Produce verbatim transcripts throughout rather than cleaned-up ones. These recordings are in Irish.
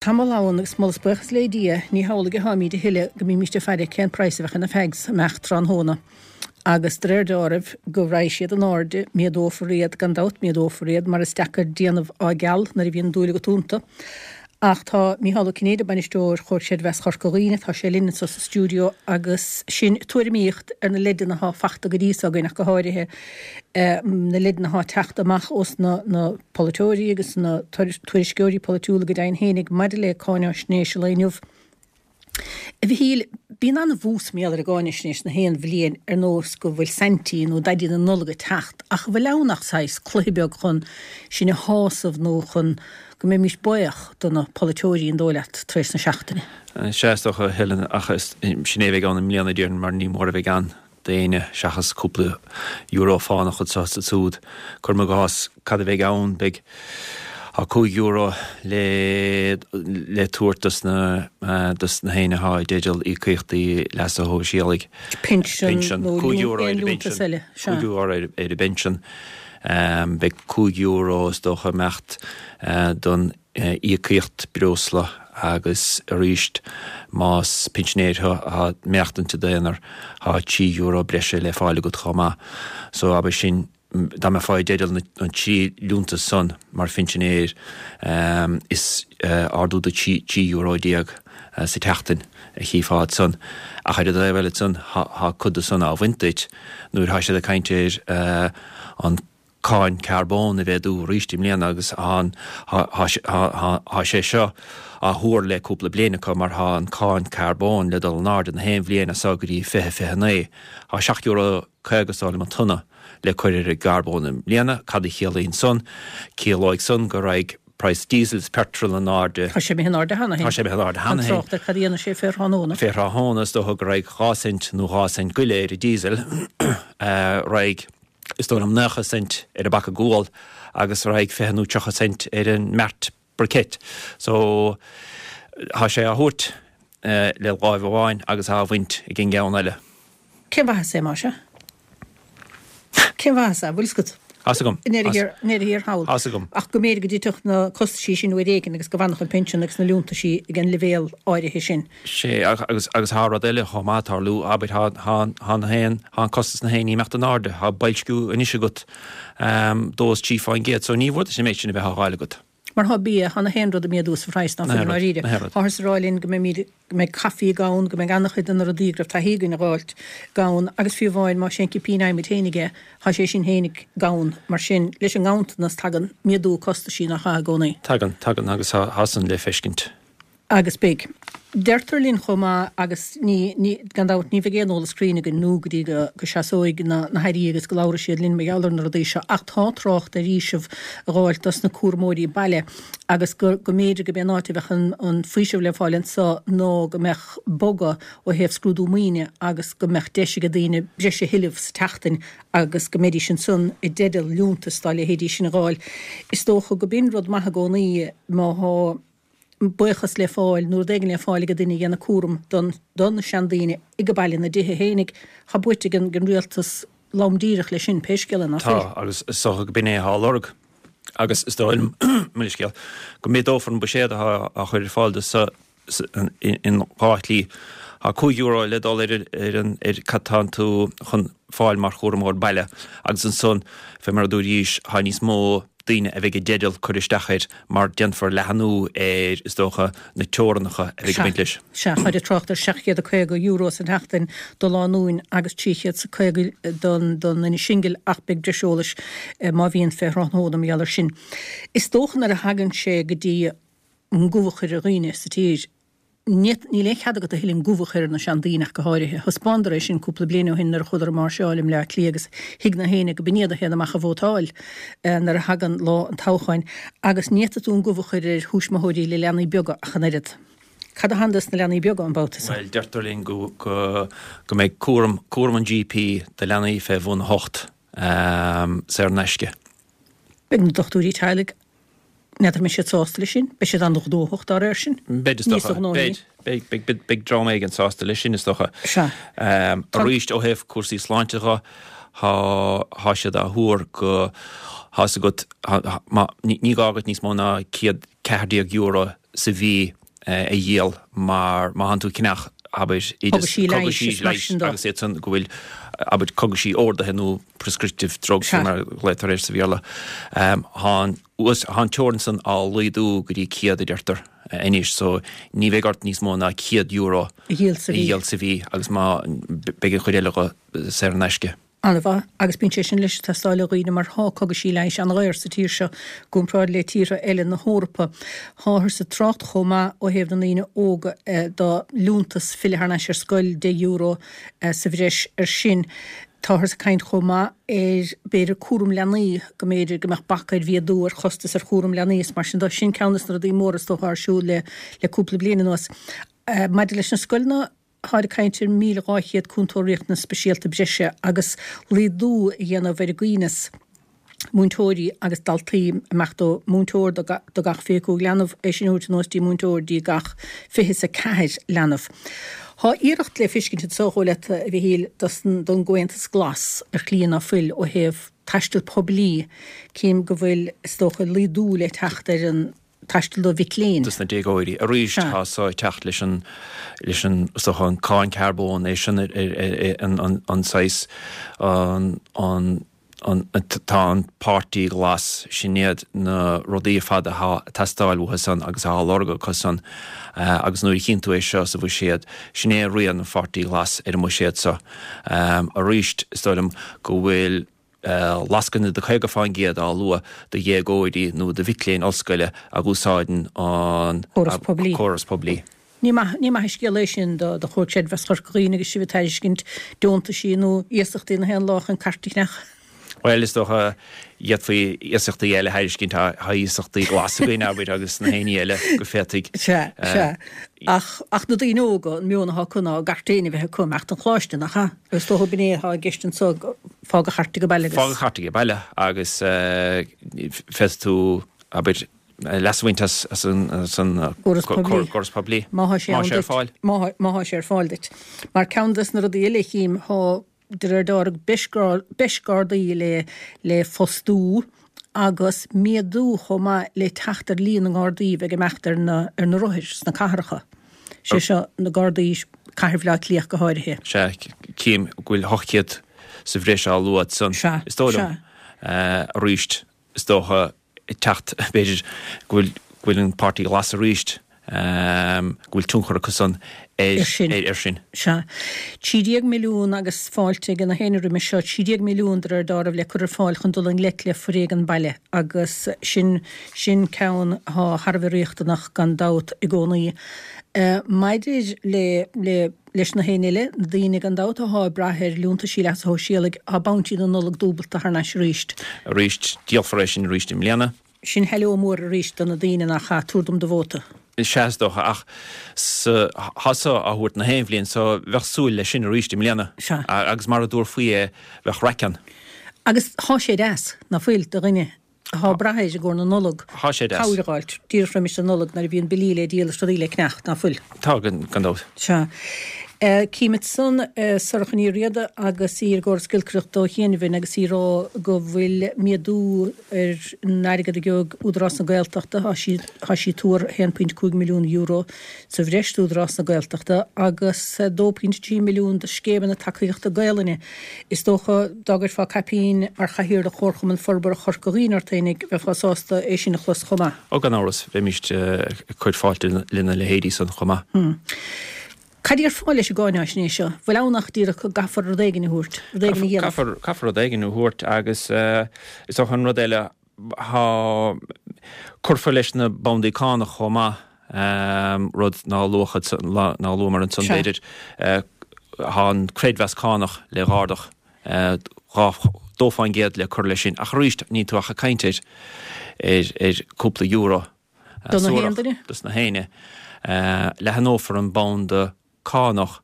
Tamall ann agus moladh is buíochas le Dia, ní hamhlaidh atáimid a thuilleadh go mbímist ag faire cén praghas a bheadh ar na fags amach tráthnóna. Agus de réir deáraimh go raghaidh siad in airde, méadófar iad, gan dabht méadófar iad, mar is deacair déanamh á gceal nuair a bhíonn dúil agat iontu. Ach tá Mícheál Ó Cinnéide, Bainisteoir Chomhar Creidmheasa Chorca Dhuibhne, tá sé linn anseo sa stiúideo agus sinn ag tuairimíocht ar na leideanna atá fachta go dtí so againn ach go háirithe na leideanna atá ag teacht amach ós na na polaiteoirí agus na tuairisceoirí polaitiúla go deimhin fhéinig maidir le cáináisnéis an lae inniu. A Mhichíl, bíonn an-bhús mar gheall ar an gcáinaisnéis na haon bhliain ar nós go bhfuil Saintí nó Daidí na Nollag ag teacht ach an bhfuil ann ach saghas cluiche beag chun sinn a shásamh nó chun go mbeimis buíoch do na polaiteoirí an dóigh leat tar éis na seachtaine? Sea, is dócha, a Helen, ach sin é a bheidh ann i mbliana, déarfainn, mar ní mór a bheidh ann. d'éinne seachas cúpla euro fánach anseo is ansiúd. Cuirim i gcás, cad a bheidh ann? Beidh tá cúig euro le le tabhairt dos na dos na héinne atá i dteideal íocaíochtaí leasa shóisialaigh. Pinsean nó Cúig euro aon ar an liúntas bpinsean. eile, sea. Cúig euro ar ar an bpinsean. Beidh cúig euro is dócha ag imeacht don íocaíocht breosla agus arís más pinsinéir thú atá ag maireachtaint i d'aonar tá trí euro breise le fáil agat chomh maith. So abair sin dá mbeifeá i dteideal na trí liúntas san mar phinsinéir is ardú de trí euro déag sa tseachtain a chífeá ansan. Ach ar an dtaobh eile ansan tá cuid de san á bhaint duit nuair atá siad ag caint ar an cáin carbóin a mhéadú arís i mbliana agus tá sé seo á thuar le cúpla bliain acu mar tá an cáin carbóin le dul in airde na haon bhliain as seo go dtí fiche fiche naoi. Tá seacht euro caoga is dóigh liom an tonna le cur ar an gcarbón i mbliana. Cad a chiallaíonn san? Ciallóidh san go raghaidh praghas diesel is petrol in airde. Tá sé imithe in airde cheana féin. Tá sé imithe in airde cheana féin. Gan trácht ar cad a dhéanfaidh sé fé thráthnóna. Fé thráthnóna is dócha go raghaidh dhá cent nó dhá cent go leith ar an diesel. Raghaidh is dóigh liom nócha cent ar an bpaca gual agus raghaidh fiche nó tríocha cent ar an mbeart briquette. So tá sé á thabhairt le láimh amháin agus á bhaint ag an gceann eile. Cén mhaitheas é, más ea? Cén mhaitheas é? Bhfuil fhios agat? Tá's agam. I ndeireadh thiar thall. Tá's agam. Ach go mb'fhéidir go dtitfeadh na costaisí sin uair éigin agus go bhfanfadh an pinsean agus na liúntaisí ag an leibhéal áirithe sin. Sea, agus agus thá rud eile chomh maith ag tarlú, abair, thá thá thá na haon, thá an costas na haon ní ag imeacht in airde, thá boilsciú anois agat dó is trí fán gcéad, so ní mhór duit an méid sin a bheith á dh'fháil agat. Mar thá bia, thá na haon rud ag méadú sa phraghas, ná Na fuil i haon rud, ndáiríre. na haon rud. Tháthar ag rá linn go mbeimid, go mbeidh caife gann, go mbeidh an-chuid de na rudaí go raibh taithí againn a dh'fháilt gann, agus fiú amháin más é an cipín adhmaid fhéinig é, thá sé sin fhéinig gann. Mar sin, leis an nganntanas tagann méadú costaisí nach ea i gcónaí. Tagann, tagann, agus thá, thá san le feiscint. Agus beidh. Deirtear linn chomh maith, agus ní, ní, gan dabht, ní bheidh aon eolas cruinn againn nó go dtí go, go seasóidh na, na hairí agus go labhróidh siad linn mar gheall ar na rudaí seo, ach tá trácht ar fhaoiseamh a dh'fháilt dos na cúramóirí baile agus go, go mb'fhéidir go b'é an áit a bheadh an, an faoiseamh le fáil anso ná go mbeadh bogadh ó thaobh scrúdú maoine agus go mbeadh deis ag daoine breis a thuilleamh sa tseachtain agus go mbeidís ansan i dteideal liúntas dá leithéidí sin a dh'fháil. Is dócha go b'in rud maith i gcónaí má thá buíochas le fáil nó rud éigin le fáil ag duine a dhéanamh cúram don do na seandaoine ag baile ina dtithe fhéinig. Tá buaite ag an rialtas lom díreach leis sin, pé scéal é, ná fuil? Tá, agus is dócha go b'in é atá á lorg agus is dóigh liom, mo leithscéal, go méadófar an buiséad atá á chur ar fáil do sa in dhá shlí. Tá cúig euro le dul ar ar an ar cad tánn tú chun fáil mar chúramóir baile agus ansan, fé mar a dúraís, tá níos mó daoine a bheidh i dteideal cur isteach air mar déanfar leathanú ar, is dócha, na teorannacha a bheidh ag baint leis. Sea, táid ag trácht ar seacht gcéad a caoga euro san tseachtain do lánúin agus trí chéad is a caoga don duine singil ach beidh breis eolais má bhíonn fé thráthnóna mar gheall air sin. Is dócha nuair a thagann sé go dtí an gob a chur ar dhaoine sa tír, Níl aon chead agat a thuilleadh an gob a chur ar na seandaoine ach go háirithe. Thaispeánadar é sin cúpla bliain ó shin nuair a chuadar ag máirseáil i mBleá Cliath agus thuig na héinne go b'in iad a théann amach a vótáil nuair a thagann lá an toghcháin. Agus ní fhéadfaidh tú an gob a chur ar thuismitheoirí le leanaí beaga ach an oiread. Cad a thagann dos na leanaí beaga an babhta seo? Bhuel, deirtear linn go go go mbeidh cúram cúram an GP do leanaí fé bhun a hocht saor in aisce. Beidh na dochtúirí teaghlaigh N'fheadar an mbeidh siad sásta leis sin? Beidh siad an-ghnóthach dá réir sin. Beidh, is dócha. Beidh, beidh, beidh, beidh dream éigin sásta leis sin, is dócha. Sea. Arís, ó thaobh cúrsaí sláinte dho, thá, thá siad á thuar go, thá's agat, má, ní, ní gá agat níos mó ná céad ceathair déag euro sa mhí a dhíol mar má thánn tú ag ceannach abair Cogaisí leighis mar sin de. Agus iad san go bhfuil abair cogaisí ordaithe nó prescriptive drugs mar ghlaotar air sa Bhéarla. Thá an teorainn san á laghdú go dtí céad a deirtear anois so ní bheidh ort níos mó ná céad euro a dhíol sa mhí. A dhíol sa mhí agus má beidh an chuid eile dho saor in aisce. An-mhaith, agus bíonn sé sin leis ag teastáil ó dhaoine mar thá cogaisí leighis an-dhaor sa tír seo i gcomparáid le tíortha eile na hEorpa. Tháthar ag trácht chomh maith ó thaobh na ndaoine óga do liúntas filleadh thar n-ais ar scoil, deich euro sa bhreis ar sin. Táthar ag caint chomh maith ar b'fhéidir cúram leanaí, go mb'fhéidir go mbeadh bac ar mhéadú ar chostas ar chúram leanaí is mar sin de. Sin ceann des na rudaí móra is dócha atá ar siúl le le cúpla bliain anuas. Maidir leis na scoileanna, Táthar ag caint ar míle dhá chéad cúntóir riachtanas speisialta breise agus laghdú a dhéanamh ar an gcoibhneas múinteoirí agus daltaí, amach do múinteoir do gach fiche cúig leanbh, é sin a thabhairt anuas dtí múinteoir dtí gach fiche is a ceathair leanbh. Thá iarracht le fiscint anso, a leat, a Mhichíl, don gComhaontas Glas ar shlí ná fuil ó thaobh taisteal poiblí, cím go bhfuil, is dócha, laghdú le teacht ar an taisteal do mhic léinn. dos na déagóirí. Arís tá so ag teacht leis an leis an is dócha an cáin carbóin é sin an an an saghas an an an tá an Páirtí Glas sin iad na rudaí ar fad atá ag teastáil uathu san agus atá á lorg acu san agus nuair a chíonn tú é seo sa bhuiséad sin é rian an Pháirtí Ghlais ar an mbuiséad seo. Arís is dóigh liom go bhfuil lascaine de caoga fán gcéad á lua do dhéagóirí nó do mhic léinn ollscoile a úsáideann an córas poiblí. Ní maith, ní maith an scéal é sin do do Chomhar Creidmheasa Chorca Dhuibhne agus sibh ag tairiscint deontaisí nó iasachtaí na haon lá chun cairt a cheannach. Bhuel, is dócha, d'fhéadfaí iasachtaí eile a thairiscint, tá iasachtaí glas againn, abair, agus na héinní eile go féadfaidh. Sea, sea. Ach, ach na daoine óga, an meon atá acu ná a gcairt féin a bheith acu, imeacht chun coláiste, nach ea? Is dócha b'in é atá i gceist anso, fág an chairt age baile agus. Fág an chairt age baile agus féadfaidh tú, abair, leas a bhaint as, as an, as an gcóras poiblí. Córas poiblí. Má thá sé Má thá sé ar fáil. Má thá, má thá sé ar fáil duit. Mar ceann des na rudaí eile a chím, thá de réir dealraimh, breis Gardaí le le fostú agus méadú chomh maith le teacht ar líon na nGardaí a bheidh ag imeacht ar na ar na rothair sna cathracha, sé seo na Gardaí Cathair Bhaile Átha Cliath go háirithe. Sea, cím go bhfuil ocht gcéad sa bhreis á lua ansan, Sea, is dóigh liom. sea. Arís, is dócha, ag teacht, b'fhéidir, go bhfuil go bhfuil an Páirtí Glas arís, go bhfuil tionchar acu san ar sin. Ar sin. Sea. Trí déag milliún agus fáilte ag na héinne roimis seo, trí déag milliún de réir dealraimh le cur ar fáil chun dul i ngleic le foréigean baile agus sin, sin ceann atá thar a bheith riachtanach gan dabht i gcónaí. Maidir le, le, leis na héinne eile, na daoine gan dabht atá ag brath ar liúntaisí leasa shóisialaigh, tá Bounty na Nollag dúbalta thar n-ais arís. Arís, díolfar é sin arís i mbliana. Sin heileo mór arís do na daoine nach ea, tabhair dom do vóta. Sea, is dócha, ach sa, thá so á thabhairt na haon bhliain so bheadh súil leis sin arís i mbliana. Sea. Agus mara dtabharfaí é, bheadh raic ann. Agus thá sé deas, ná fuil, do dhuine athá ag brath air i gcomhair na Nollag, Thá sé deas. cabhair a dh'fháilt, díreach roimis an Nollaig nuair a bhíonn billí le díol is rudaí le ceannacht, ná fuil? Tá, gan dabht. Sea. Cím ansan Sorcha Ní Riada agus í ar an gcóras giolcaireachta ó chianaibh agus í ag rá go bhfuil méadú ar an airgead a gheobhaidh Údarás na Gaeltachta, tá sí tá sí ag tuar a haon pointe cúig milliún euro sa bhreis d'Údarás na Gaeltachta agus dó pointe trí milliún do scéimeanna tacaíochta Gaelainne. Is dócha dá gcuirfeá caipín mar Chathaoirleach Chomharchumann Forbartha Chorca Dhuibhne ort fhéinig, bheifeá sásta é sin a chlos chomh maith. Ó gan amhras, bheimíst ag cur fáilte lena leithéidí san chomh maith. Cad a déarfá leis an gcáináisnéis seo? Bhfuil ann ach díreach go gcaithfear rud éigin a thabhairt, rud éigin a dhéanamh? Caithfear, caithfear rud éigin a thabhairt agus is dócha an rud eile, thá, cuirfear leis na bandaí cánach chomh maith, rud ná luachad, ná luamar ansan b'fhéidir, thá an creidmheas cánach le dh'ardach dhá, dó fán gcéad le cur leis sin ach arís níl tú ach ag caint ar, ar, ar cúpla euro. Do na haon duine? Dos na héinne. Leathanófar an banda cánach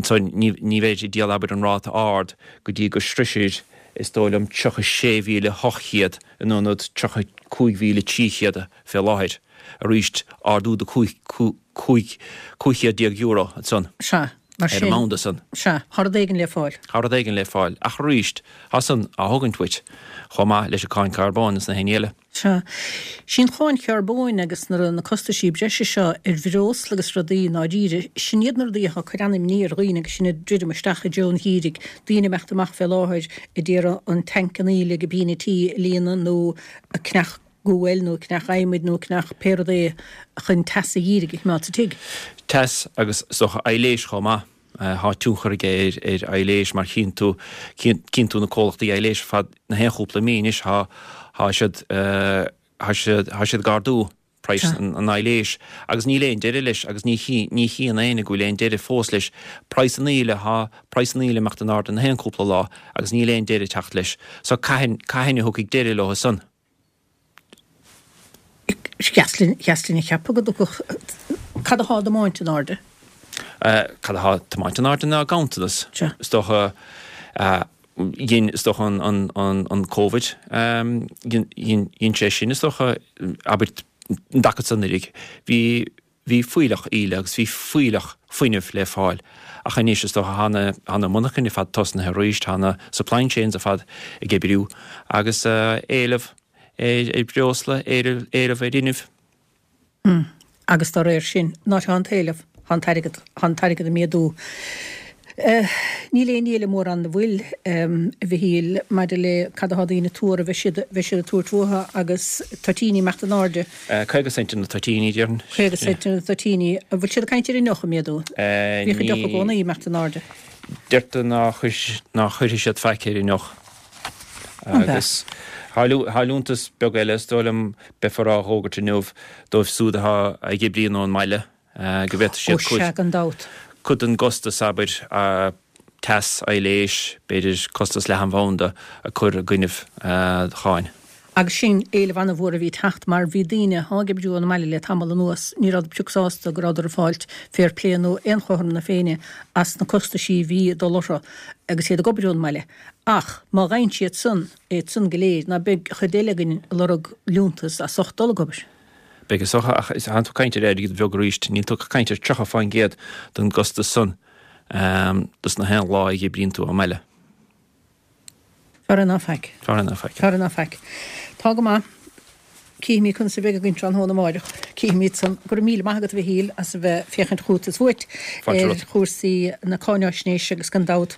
so ní bheidh ag díol abair an ráta ard go dtí go sroisfir is dóigh liom tríocha sé mhíle hocht chéad in ionad tríocha cúig mhíle trí chéad fé láthair. Arís ardú de cúig cúig cúig chéad déag euro ansan. Sea. Mar Ar an sin, mbanda san. Sea, tá rud éigin le fáil. Tá rud éigin le fáil. Ach arís, tá san á thógaint uait, chomh maith leis an cáin carbóin is na haon ní eile. Sea. Sí an cháin charbóin agus na na costaisí breise seo ar bhreosla agus rudaí i ndáiríre, sin iad na rudaí atá ag cur an-imní ar dhaoine agus sinn ag druidim isteach i dtreo an gheimhridh, daoine ag imeacht amach fé láthair a d'iarraidh an tanc an aoile ag an bpian tí a líonadh nó ag ceannach guail nó ag ceannach adhmaid nó ag ceannach pé rud é chun teas an gheimhridh a choimeád sa tigh. Teas agus is dócha aibhléis chomh maith. Tá tionchar aige ar aibhléis mar chíonn tú, chíonn tú na comhlachtaí aibhléis ar fad na haon chúpla mí anois, tá, tá siad, tá siad, tá siad ag ardú praghas an aibhléis agus níl aon deireadh leis agus ní ní chíonn éinne go bhfuil aon deireadh fós leis. Praghas an aoile, tá praghas an aoile ag imeacht in airde na haon chúpla lá agus níl aon deireadh ag teacht leis. So cathain, cathain a thiocfaidh deireadh leo san? Sheas linn a cheapadh go dtiocfadh. Cad atá á dtiomáint in airde? Cad atá á tiomáint in airde ná ganntanas. Is dócha, dhein, is dócha an Covid, dhein sé sin, is dócha, abair, an dtaca san uilig. Bhí, bhí fuílleach aoile agus bhí fuílleach fuinnimh le fáil. Ach anois, is dócha, tá na, tá na monarchain ar fad tosnaithe arís, tá na supply chains ar fad ag oibriú agus éileamh ar bhreosla, éileamh ar fhuinneamh. Agus dá réir sin, nuair atá an t-éileamh, tá an t-airgead, tá an t-airgead ag méadú. Níl aon ní eile mórán ina bhfuil, a Mhichíl, maidir le cad atá daoine ag tuar, a bheidh siad, bheidh siad ag tabhairt uathu agus toitíní ag imeacht in airde. Caoga cent ar na toitíní, déarfainn. Caoga cent ar na toitíní. An bhfuil siad ag caint ar an deoch ag méadú? Bhíodh an deoch i gcónaí ag imeacht in airde. Deirtear ná cuirfidh siad faic ar an ndeoch. Agus tá liúntas beag eile, is dóigh liom, beifear á dh'fhógairt inniu dóibh siúd atá ag oibriú ón mbaile, go bhféadfaidh siad cuid, Ó sea, gan dabht. cuid den gcostas, abair, teas, aibhléis, b'fhéidir costas leathanbhanda a chur i gcoinnibh cháin. Agus sin éileamh an-mhór a bhí ag teacht mar bhí daoine atá ag oibriú ón mbaile le tamall anuas, ní rabhadar pioc sásta go rabhadar ag fáilt fair play nó aon chothrom na Féinne as na costaisí a bhí ag dul orthu agus iad ag obair ón mbaile. Ach má gheibheann siad san iad san go léir, ná beidh chuid eile againn ag lorg liúntas as ucht dul ag obair? Beidh is dócha, ach tánn tú ag caint ar airgead bheag arís, níl tú ach ag caint ar tríocha faoin gcéad den gcostas san dos na haon lá a oibríonn tú ón mbaile. Fearr é ná faic. Fearr é ná faic. Fearr é ná faic. Tá go maith. Cífimid conas a bheidh againn tráthnóna amáireach. Cífimid san. Go raibh míle maith agat, a Mhichíl, as a bheith féachaint chugat is uait Fáilte ar romhat. chúrsaí na cáináisnéise agus gan dabht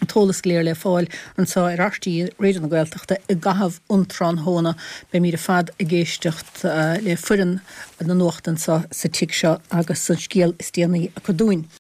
an t-eolas go léir le fáil anseo ar RTÉ Raidió na Gaeltachta i gcaitheamh an tráthnóna. Beimid ar fad ag éisteacht le foireann na nuachta anseo sa tigh seo agus an scéal is déanaí acu dúinn.